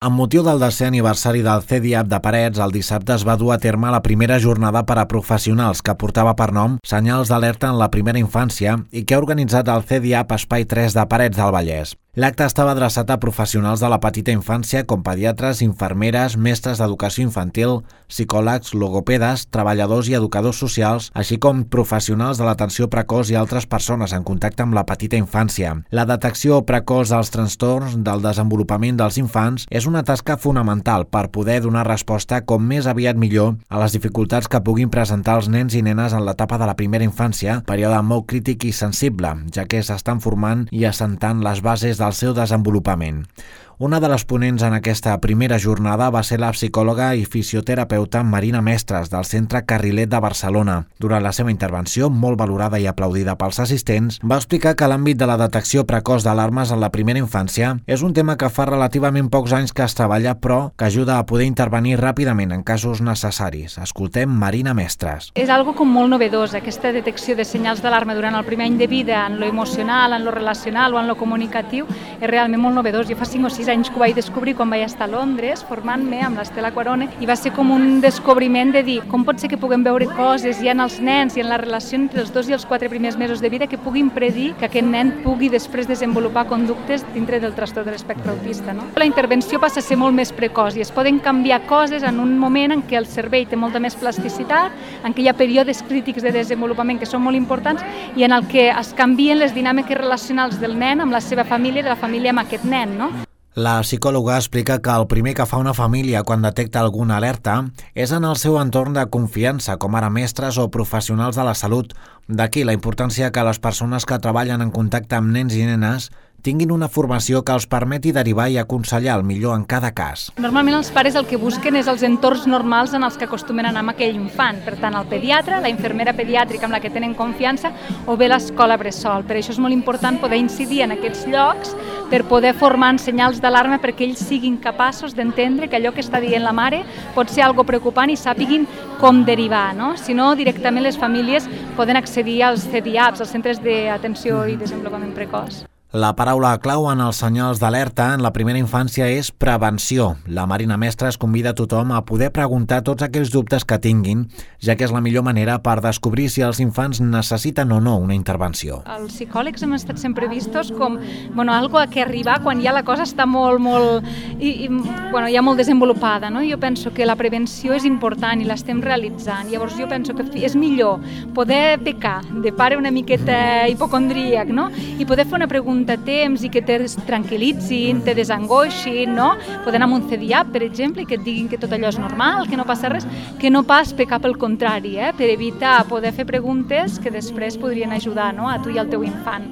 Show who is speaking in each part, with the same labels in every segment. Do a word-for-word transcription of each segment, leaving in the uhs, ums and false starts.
Speaker 1: Amb motiu del desè aniversari del C D I A P de Parets, el dissabte es va dur a terme la primera jornada per a professionals que portava per nom Senyals d'alerta en la primera infància i que ha organitzat el C D I A P Espai tres de Parets del Vallès. L'acte estava adreçat a professionals de la petita infància com pediatres, infermeres, mestres d'educació infantil, psicòlegs, logopedes, treballadors i educadors socials, així com professionals de l'atenció precoç i altres persones en contacte amb la petita infància. La detecció precoç dels trastorns del desenvolupament dels infants és una tasca fonamental per poder donar resposta com més aviat millor a les dificultats que puguin presentar els nens i nenes en l'etapa de la primera infància, període molt crític i sensible, ja que s'estan formant i assentant les bases del seu desenvolupament. Una de les ponents en aquesta primera jornada va ser la psicòloga i fisioterapeuta Marina Mestres del Centre Carrilet de Barcelona. Durant la seva intervenció, molt valorada i aplaudida pels assistents, va explicar que l'àmbit de la detecció precoç d'alarmes en la primera infància és un tema que fa relativament pocs anys que es treballa, però que ajuda a poder intervenir ràpidament en casos necessaris. Escoltem Marina Mestres.
Speaker 2: És algo com molt novedós, aquesta detecció de senyals d'alarma durant el primer any de vida, en lo emocional, en lo relacional o en lo comunicatiu, és realment molt novedós. Jo fa cinc o sis anys que ho vaig descobrir quan vaig estar a Londres formant-me amb l'Estela Quarone i va ser com un descobriment de dir com pot ser que puguem veure coses ja en els nens i en la relació entre els dos i els quatre primers mesos de vida que puguin predir que aquest nen pugui després desenvolupar conductes dintre del trastorn de l'espectre autista. No? La intervenció passa a ser molt més precoç i es poden canviar coses en un moment en què el cervell té molta més plasticitat, en què hi ha períodes crítics de desenvolupament que són molt importants i en el que es canvien les dinàmiques relacionals del nen amb la seva família i de la família amb aquest nen. No?
Speaker 1: La psicòloga explica que el primer que fa una família quan detecta alguna alerta és en el seu entorn de confiança, com ara mestres o professionals de la salut. D'aquí la importància que les persones que treballen en contacte amb nens i nenes tinguin una formació que els permeti derivar i aconsellar el millor en cada cas.
Speaker 2: Normalment els pares el que busquen és els entorns normals en els que acostumen a anar amb aquell infant. Per tant, el pediatre, la infermera pediàtrica amb la que tenen confiança o bé l'escola bressol. Per això és molt important poder incidir en aquests llocs per poder formar en senyals d'alarma perquè ells siguin capaços d'entendre que allò que està dient la mare pot ser algo preocupant i sàpiguin com derivar. No? Si no, directament les famílies poden accedir als C D I A Ps, als centres d'atenció i desenvolupament precoç.
Speaker 1: La paraula clau en els senyals d'alerta en la primera infància és prevenció. La Marina Mestres convida a tothom a poder preguntar tots aquells dubtes que tinguin, ja que és la millor manera per descobrir si els infants necessiten o no una intervenció.
Speaker 2: Els psicòlegs hem estat sempre vistos com bueno, algo a què arribar quan ja la cosa està molt, molt, i, i, bueno, ja molt desenvolupada. No? Jo penso que la prevenció és important i l'estem realitzant. Llavors jo penso que és millor poder pecar de pare una miqueta hipocondríac, no? I poder fer una pregunta a temps i que te tranquil·litzin, te desangoixin, no? Poder anar amb un C D I A P, per exemple, i que et diguin que tot allò és normal, que no passa res, que no pas pecar pel contrari, eh? Per evitar poder fer preguntes que després podrien ajudar, no? A tu i al teu infant.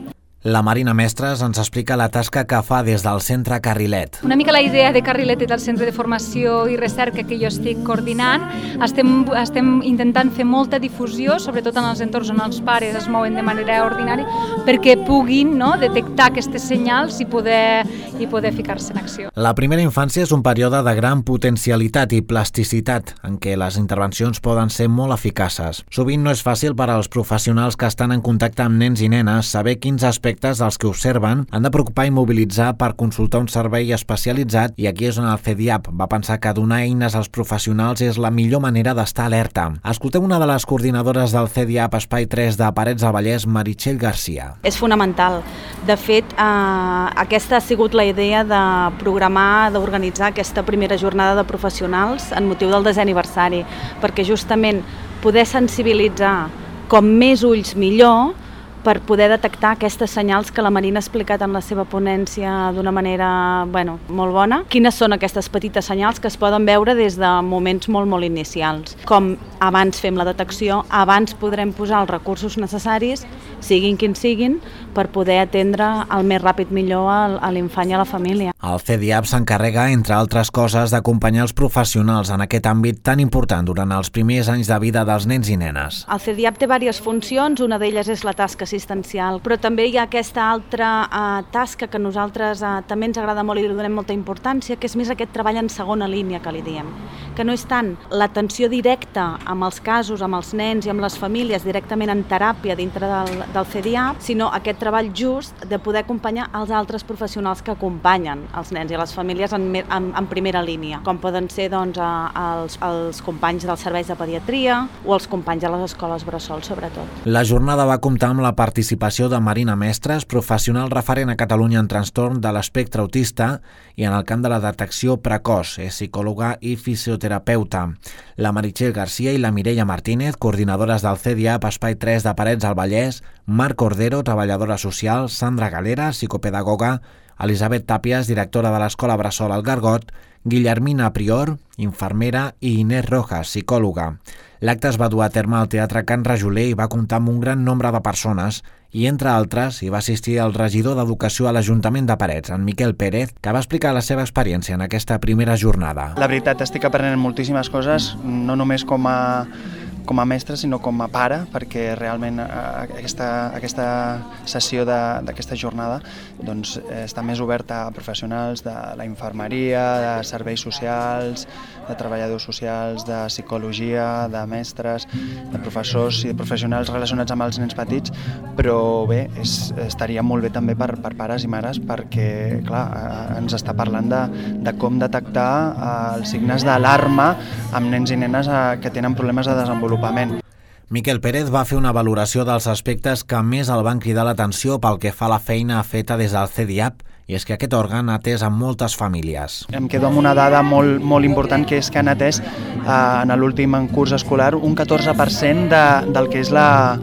Speaker 1: La Marina Mestres ens explica la tasca que fa des del Centre Carrilet.
Speaker 2: Una mica la idea de Carrilet és el centre de formació i recerca que jo estic coordinant. Estem, estem intentant fer molta difusió, sobretot en els entorns on els pares es mouen de manera ordinària, perquè puguin no, detectar aquestes senyals i poder, i poder ficar-se en acció.
Speaker 1: La primera infància és un període de gran potencialitat i plasticitat, en què les intervencions poden ser molt eficaces. Sovint no és fàcil per als professionals que estan en contacte amb nens i nenes saber quins aspectes dels que observen han de preocupar i mobilitzar per consultar un servei especialitzat i aquí és on el C D I A P va pensar que donar eines als professionals és la millor manera d'estar alerta. Escoltem una de les coordinadores del C D I A P Espai tres de Parets del Vallès, Meritxell Garcia.
Speaker 3: És fonamental. De fet, eh, aquesta ha sigut la idea de programar, d'organitzar aquesta primera jornada de professionals en motiu del desè aniversari, perquè justament poder sensibilitzar com més ulls millor per poder detectar aquestes senyals que la Marina ha explicat en la seva ponència d'una manera bueno, molt bona. Quines són aquestes petites senyals que es poden veure des de moments molt, molt inicials. Com abans fem la detecció, abans podrem posar els recursos necessaris, siguin quins siguin, per poder atendre el més ràpid millor a l'infant i a la família.
Speaker 1: El C D I A P s'encarrega, entre altres coses, d'acompanyar els professionals en aquest àmbit tan important durant els primers anys de vida dels nens i nenes.
Speaker 3: El C D I A P té diverses funcions, una d'elles és la tasca assistencial, però també hi ha aquesta altra eh, tasca que a nosaltres eh, també ens agrada molt i li donem molta importància, que és més aquest treball en segona línia que li diem, que no és tant l'atenció directa amb els casos, amb els nens i amb les famílies directament en teràpia dintre del, del C D I A P, sinó aquest treball just de poder acompanyar els altres professionals que acompanyen els nens i les famílies en, en, en primera línia, com poden ser doncs, els, els companys dels serveis de pediatria o els companys de les escoles bressol, sobretot.
Speaker 1: La jornada va comptar amb la participació de Marina Mestres, professional referent a Catalunya en trastorn de l'espectre autista i en el camp de la detecció precoç, és psicòloga i fisioterapeuta. La Meritxell Garcia i la Mireia Martínez, coordinadores del C D I A P Espai tres de Parets al Vallès, Marc Cordero, treballadora social, Sandra Galera, psicopedagoga, Elisabet Tàpies, directora de l'Escola Bressol al Gargot, Guillermina Prior, infermera, i Inés Rojas, psicòloga. L'acte es va dur a terme al Teatre Can Rajoler i va comptar amb un gran nombre de persones i, entre altres, hi va assistir el regidor d'Educació a l'Ajuntament de Parets, en Miquel Pérez, que va explicar la seva experiència en aquesta primera jornada.
Speaker 4: La veritat, estic aprenent moltíssimes coses, no només com a com a mestre, sinó com a pare, perquè realment aquesta, aquesta sessió d'aquesta jornada doncs, està més oberta a professionals de la infermeria, de serveis socials, de treballadors socials, de psicologia, de mestres, de professors i de professionals relacionats amb els nens petits, però bé, és, estaria molt bé també per, per pares i mares perquè, clar, ens està parlant de, de com detectar els signes d'alarma amb nens i nenes que tenen problemes de desenvolupament.
Speaker 1: Miquel Pérez va fer una valoració dels aspectes que més el van cridar l'atenció pel que fa a la feina feta des del C D I A P, i és que aquest òrgan ha atès a moltes famílies.
Speaker 4: Em quedo amb una dada molt, molt important, que és que han atès eh, en l'últim curs escolar un catorze per cent de, del que és la,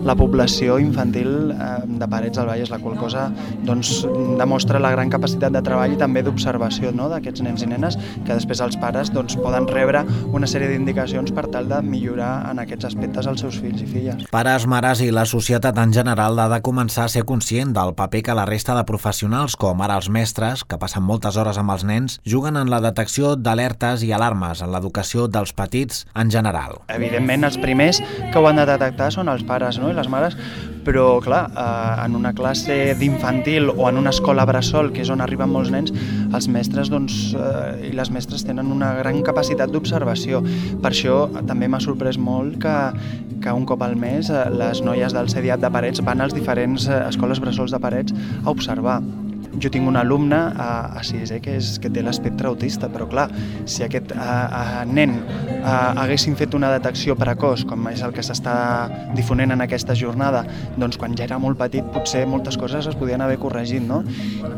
Speaker 4: la població infantil eh, de Parets del Vallès, la qual cosa doncs, demostra la gran capacitat de treball i també d'observació, no?, d'aquests nens i nenes, que després els pares doncs, poden rebre una sèrie d'indicacions per tal de millorar en aquests aspectes els seus fills i filles.
Speaker 1: Pares, mares i la societat en general ha de començar a ser conscient del paper que la resta de professionals, com ara els mestres, que passen moltes hores amb els nens, juguen en la detecció d'alertes i alarmes en l'educació dels petits en general.
Speaker 4: Evidentment, els primers que ho han de detectar són els pares, no?, i les mares, però clar, eh, en una classe d'infantil o en una escola bressol, que és on arriben molts nens, els mestres doncs, eh, i les mestres tenen una gran capacitat d'observació. Per això també m'ha sorprès molt que, que un cop al mes eh, les noies del C D I A P de Parets van als diferents eh, escoles bressols de Parets a observar. Jo tinc un alumne a, a sisè que, és, que té l'espectre autista, però clar, si aquest a, a, nen a, haguessin fet una detecció precoç, com és el que s'està difonent en aquesta jornada, doncs quan ja era molt petit potser moltes coses es podien haver corregit, no?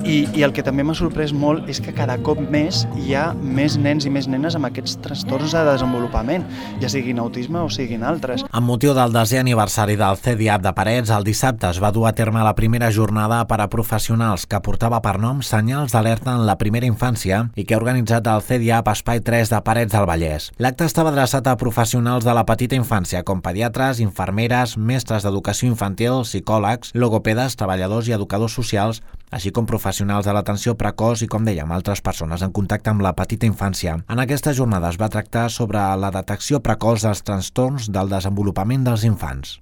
Speaker 4: I, i el que també m'ha sorprès molt és que cada cop més hi ha més nens i més nenes amb aquests trastorns de desenvolupament, ja siguin autisme o siguin altres.
Speaker 1: Amb motiu del desè aniversari del C D I A P de Parets, el dissabte es va dur a terme la primera jornada per a professionals que portava per nom Senyals d'alerta en la primera infància i que ha organitzat el C D I A P Espai tres de Parets del Vallès. L'acte estava adreçat a professionals de la petita infància, com pediatres, infermeres, mestres d'educació infantil, psicòlegs, logopedes, treballadors i educadors socials, així com professionals de l'atenció precoç i, com dèiem, altres persones en contacte amb la petita infància. En aquesta jornada es va tractar sobre la detecció precoç dels trastorns del desenvolupament dels infants.